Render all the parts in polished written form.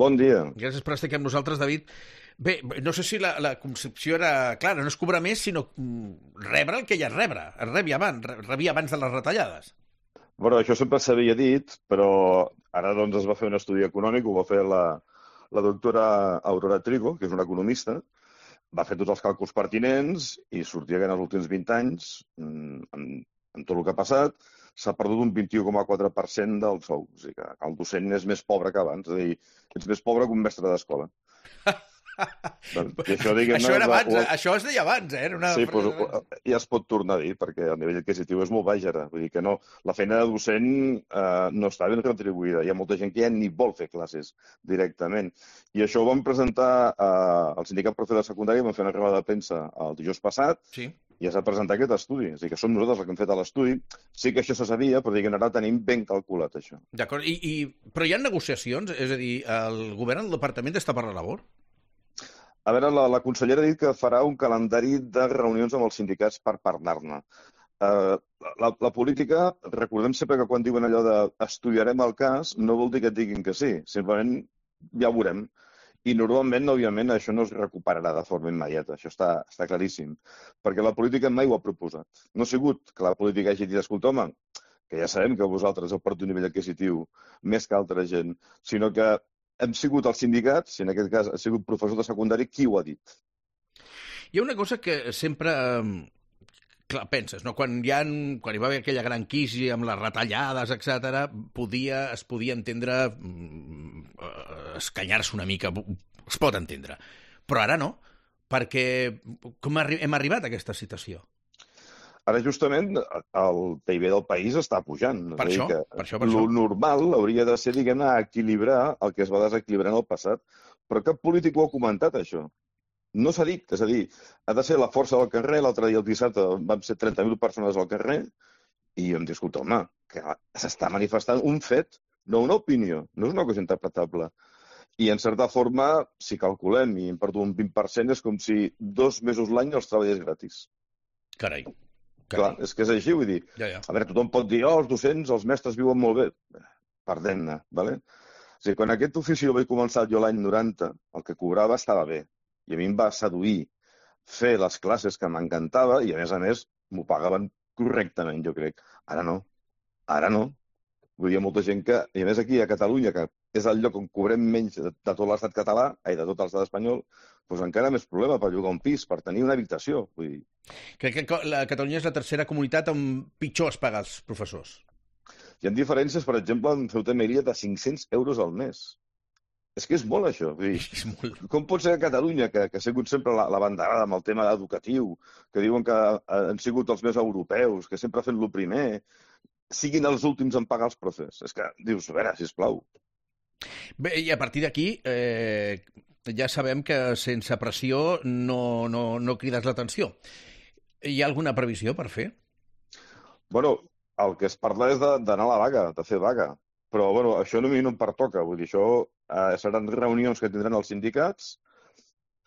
Bon dia. Gràcies per estar aquí amb nosaltres, David. Bé, no sé si la concepció era clara, no és cobrar més, sinó rebre el que ja és rebre. Es rebia abans de les retallades. Bueno, això sempre s'havia dit, però ara doncs es va fer un estudi econòmic, ho va fer la doctora Aurora Trigo, que és una economista, va fer tots els càlculs pertinents i sortia que en els últims 20 anys, amb tot el que ha passat, s'ha perdut un 21,4% del sou. O sigui que el docent és més pobre que abans, és a dir, ets més pobre que un mestre d'escola. Això era abans, això es deia abans, eh? Sí, però ja es pot tornar a dir, perquè el nivell adquisitiu és molt baix ara. Vull dir que no, la feina de docent no està ben retribuïda. Hi ha molta gent que ja ni vol fer classes directament. I això ho vam presentar al sindicat profe de secundària, vam fer una roda de premsa el dijous passat, sí. I ja s'ha presentat aquest estudi. És a dir, que som nosaltres els que hem fet l'estudi. Sí que això se sabia, però diguem, ara tenim ben calculat, això. D'acord, però hi ha negociacions? És a dir, el govern, el departament està per la labor? A veure, la consellera ha dit que farà un calendari de reunions amb els sindicats per parlar-ne. La política, recordem sempre que quan diuen allò de estudiarem el cas, no vol dir que et diguin que sí, simplement ja ho veurem. I normalment, òbviament, això no es recuperarà de forma immediata, això està claríssim, perquè la política mai ho ha proposat. No ha sigut que la política hagi dit, escolta, home, que ja sabem que vosaltres heu perdut un nivell adquisitiu més que altra gent, sinó que hem sigut els sindicats, i en aquest cas ha sigut professor de secundari, qui ho ha dit. Hi ha una cosa que sempre clar, penses, no? Quan hi va haver aquella gran crisi amb les retallades, etc., es podia entendre escanyar-se una mica, es pot entendre. Però ara no, perquè com hem arribat a aquesta situació? Ara, justament, el PIB del país està pujant. Per això. Lo normal hauria de ser, diguem-ne, equilibrar el que es va desequilibrar en el passat. Però cap polític ho ha comentat, això. No s'ha dit. És a dir, ha de ser la força del carrer. L'altre dia, el dissabte, vam ser 30.000 persones al carrer i em diu, escolta, home, que s'està manifestant un fet, no una opinió. No és una cosa interpretable. I, en certa forma, si calculem i hem perdut un 20%, és com si 2 mesos l'any els treballés gratis. Carai. Clar, és que és així, vull dir. Ja. A veure, tothom pot dir, els docents, els mestres viuen molt bé. Perdem-ne, ¿vale? O sigui, quan aquest ofici el vaig començar jo l'any 90, el que cobrava estava bé. I a mi em va seduir fer les classes que m'encantava i, a més, m'ho pagaven correctament, jo crec. Ara no. Vull dir, hi ha molta gent que, i a més aquí a Catalunya, que és el lloc on cobrem menys de tot l'estat català, de tot l'estat espanyol, doncs encara més problema per llogar un pis, per tenir una habitació. Vull dir. Crec que Catalunya és la tercera comunitat on pitjor es paga als professors. Hi ha diferències, per exemple, en Ceuta i Melilla de 500 euros al mes. És que és molt, això. Vull dir, és molt. Com pot ser que Catalunya, que ha sigut sempre la banderada amb el tema educatiu, que diuen que han sigut els més europeus, que sempre han fet el primer, siguin els últims en pagar els profes? És que dius, a veure, sisplau. Bé, i a partir d'aquí ja sabem que sense pressió no crides l'atenció. Hi ha alguna previsió per fer? Bueno, el que es parla és d'anar a la vaga, de fer vaga. Però, bueno, això a mi no em pertoca. Vull dir, això seran reunions que tindran els sindicats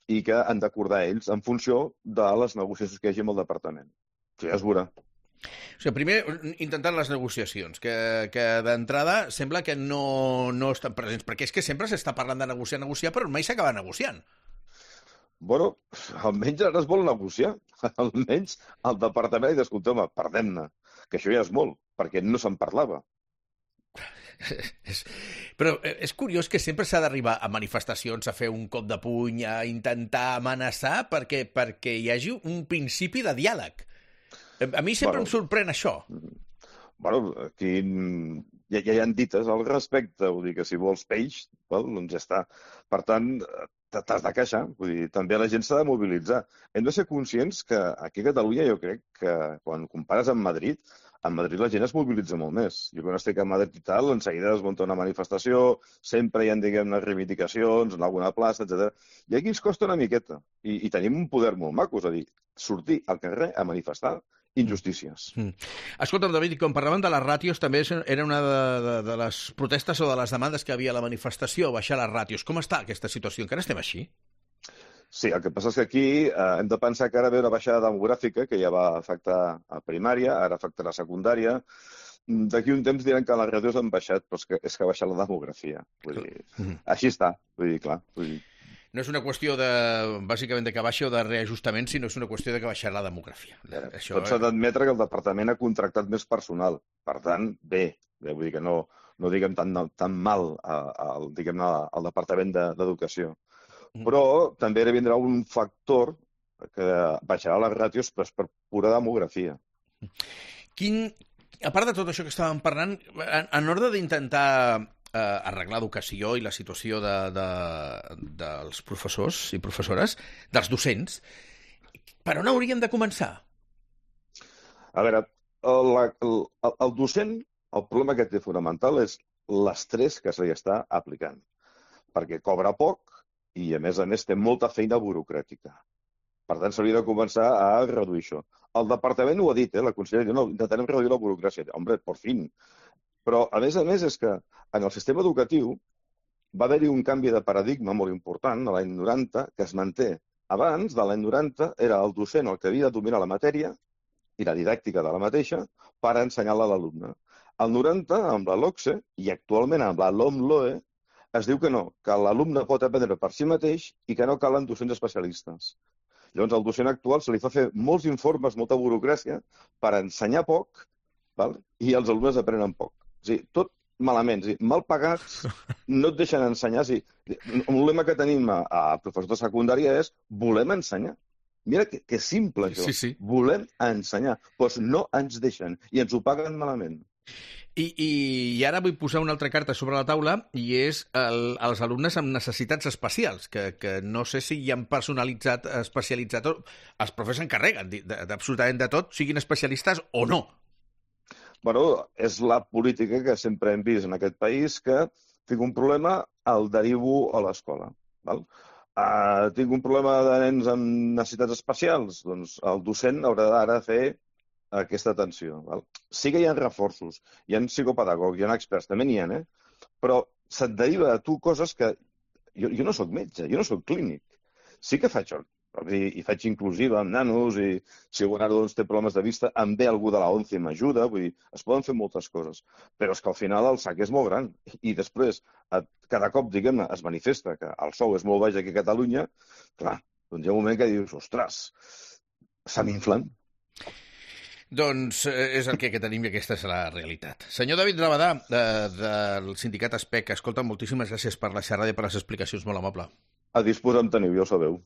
i que han d'acordar ells en funció de les negociacions que hi hagi amb el departament. Això ja es veurà. O sigui, primer intentar les negociacions, que d'entrada sembla que no estan presents, perquè és que sempre s'està parlant de negociar, però mai s'acaba negociant. Bueno, almenys ara es vol negociar. Almenys el departament ha dit, escolta, home, perdem-ne, que això ja és molt, perquè no se'n parlava. Però és curiós que sempre s'ha d'arribar a manifestacions, a fer un cop de puny, a intentar amenaçar perquè hi hagi un principi de diàleg. A mi sempre em sorprèn això. Bueno, aquí ja hi ha dites al respecte, vull dir que si vols peix, doncs ja està. Per tant, t'has de queixar, vull dir, també la gent s'ha de mobilitzar. Hem de ser conscients que aquí a Catalunya jo crec que quan compares amb Madrid, a Madrid la gent es mobilitza molt més. Jo quan estic a Madrid i tal, enseguida es munta una manifestació, sempre hi ha, diguem-ne, reivindicacions en alguna plaça, etc. I aquí ens costa una miqueta. I tenim un poder molt maco, és a dir, sortir al carrer a manifestar injustícies. Escolta'm, David, quan parlàvem de les ràtios, també era una de les protestes o de les demandes que havia a la manifestació, baixar les ràtios. Com està aquesta situació? Encara estem així? Sí, el que passa és que aquí hem de pensar que ara ve una baixada demogràfica que ja va afectar a primària, ara afectarà a secundària. d'aquí un temps diran que les ràtios han baixat, però és que ha baixat la demografia. Vull dir, així està. Vull dir, clar. No és una qüestió bàsicament de que baixi o de reajustament, sinó és una qüestió de que baixar la demografia. Tot s'ha d'admetre que el departament ha contractat més personal. Per tant, bé. Vull dir que no diguem tan mal al departament d'Educació. Però també vindrà un factor que baixarà les ràtios, però és per pura demografia. A part de tot això que estàvem parlant, en ordre d'intentar arreglar l'educació i la situació dels professors i professores, dels docents, per on hauríem de començar? A veure, el docent, el problema que té fonamental és l'estrès que se li està aplicant, perquè cobra poc i, a més té molta feina burocràtica. Per tant, s'hauria de començar a reduir això. El departament ho ha dit, la consellera diu, no, intentarem reduir la burocràcia. Hombre, por fin. Però, a més, és que en el sistema educatiu va haver-hi un canvi de paradigma molt important a l'any 90 que es manté. Abans, de l'any 90, era el docent el que havia de dominar la matèria i la didàctica de la mateixa per ensenyar-la a l'alumne. Al 90, amb la LOCSE, i actualment amb la LOMLOE, es diu que no, que l'alumne pot aprendre per si mateix i que no calen docents especialistes. Llavors, al docent actual se li fa fer molts informes, molta burocràcia, per ensenyar poc, i els alumnes aprenen poc. És a dir, tot malament, mal pagats, no et deixen ensenyar. Un lema que tenim a professors de secundària és volem ensenyar. Mira que simple, això. Sí. Volem ensenyar. Doncs no ens deixen i ens ho paguen malament. I ara vull posar una altra carta sobre la taula i és els alumnes amb necessitats especials, que no sé si hi han especialitzat, els professors s'encarreguen d'absolutament de tot, siguin especialistes o no. Bueno, és la política que sempre hem vist en aquest país, que tinc un problema, el derivo a l'escola. Tinc un problema de nens amb necessitats especials, doncs el docent haurà d'ara fer aquesta atenció. Sí que hi ha reforços, hi ha psicopedagogs, hi ha experts, també n'hi ha, però se't deriva a tu coses que... Jo no sóc metge, jo no sóc clínic. Sí que faig i faig inclusiva amb nanos, i si algun nano té problemes de vista, em ve algú de la ONCE i m'ajuda, vull dir, es poden fer moltes coses, però és que al final el sac és molt gran, i després, cada cop, diguem-ne, es manifesta que el sou és molt baix aquí a Catalunya, clar, doncs hi ha un moment que dius, ostres, se m'inflen. Doncs és el que tenim i aquesta és la realitat. Senyor David Rabadà, del sindicat ASPEC, escolta, moltíssimes gràcies per la xerrada i per les explicacions, molt amable. A disposar em teniu, ja ho sabeu.